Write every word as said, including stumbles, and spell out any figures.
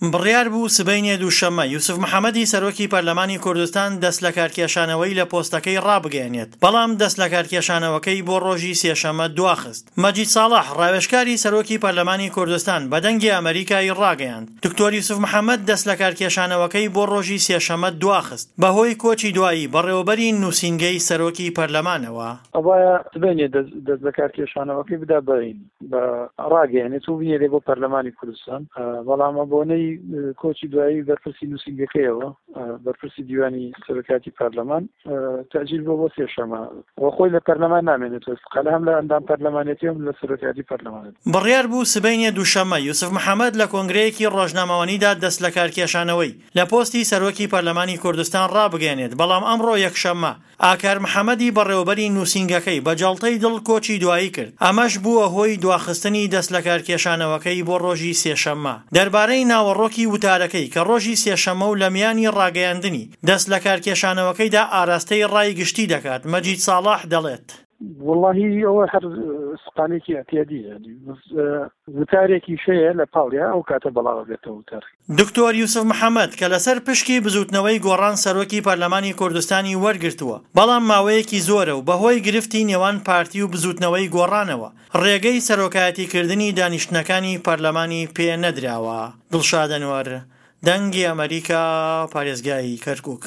بڕیار بوو سبەینێ دووشەممە یوسف محەمەدی سەرۆکی پەرلەمانی کوردستان دەستلەکارکێشانەوەی لە پۆستەکەی ڕابگەیەنێت، بەڵام دەستلەکارکێشانەوەکەی بۆ ڕۆژی سێشەممە دواخست. مەجید ساڵح، ڕاوێژکاری سەرۆکی پەرلەمانی کوردستان بە دەنگی ئەمەریکای ڕاگەیاند، دکتۆر یوسف محەمەد دەستلەکارکێشانەوەکەی بۆ ڕۆژی سێشەممە دواخست بەهۆی کۆچی دوایی بەڕێوەبەری نووسینگەی سەرۆکی پەرلەمانەوە. ئەوایە سبەینێ دەستلەکارکێشانەوەکەی بدا بە بە ڕاگەیەنێت و بنێرێ بۆ پەرلەمانی کوردستان، بەڵام بۆنەی کۆچی دوایی بەرپرسی نووسینگەکەیەوە بەرپرسی دیوانی سەرۆکاتی پەرلەمان تەجیل بۆ بۆ سێشەمە و خۆی لە پەرلەمان نامێنێتەوە، استقالە هەم لە ئەندام پەرلەمانێتی هەم لە سەرۆکاتی پەرلەمانێت. بڕیار بوو سبەینێ دووشەممە یوسف محەمەد لە کۆنگرەیەکی ڕۆژنامەوانیدا دەستلەکارکێشانەوەی لە پۆستی سەرۆکی پەرلەمانی کوردستان ڕابگەیەنێت، بەڵام ئەمڕۆ یەکشەممە ئاکار محەمەدی بەڕێوەبەری نووسینگەکەی بە جەڵتەی دڵ کۆچی دوایی کرد، ئەمەش بووە هۆی دواخستنی دەستلەکارکێشانەوەکەی بۆ ڕۆژی سێشەممە. دەربارەی ناوەڕۆکی وتارەکەی کە ڕۆژی سێشەممە و لە میانی ڕاگەیاندنی دەستلەکارکێشانەوەکەیدا ئاراستەی ڕای گشتی دەکات، مەجید ساڵح دەڵێت: وەڵاهی ئەوە هەر سقالێکی ئەعتیادیە، وتارێکیش هەیە لە پاڵیا ئەو کاتە بەڵاوە بێتەوە وتار. دکتۆر یوسف محەمەد کە لەسەر پشکی بزوتنەوەی گۆڕان سەرۆکی پەرلەمانی کوردستانی وەرگرتووە، بەڵام ماوەیەکی زۆرە و بەهۆی گرفتی نێوان پارتی و بزوتنەوەی گۆڕانەوە ڕێگەی سەرۆکایەتیکردنی دانیشتنەکانی پەرلەمانی پێ نەدراوە. دڵشاد ئەنوەر، دەنگی ئەمەریکا، پارێزگای کەرکوک.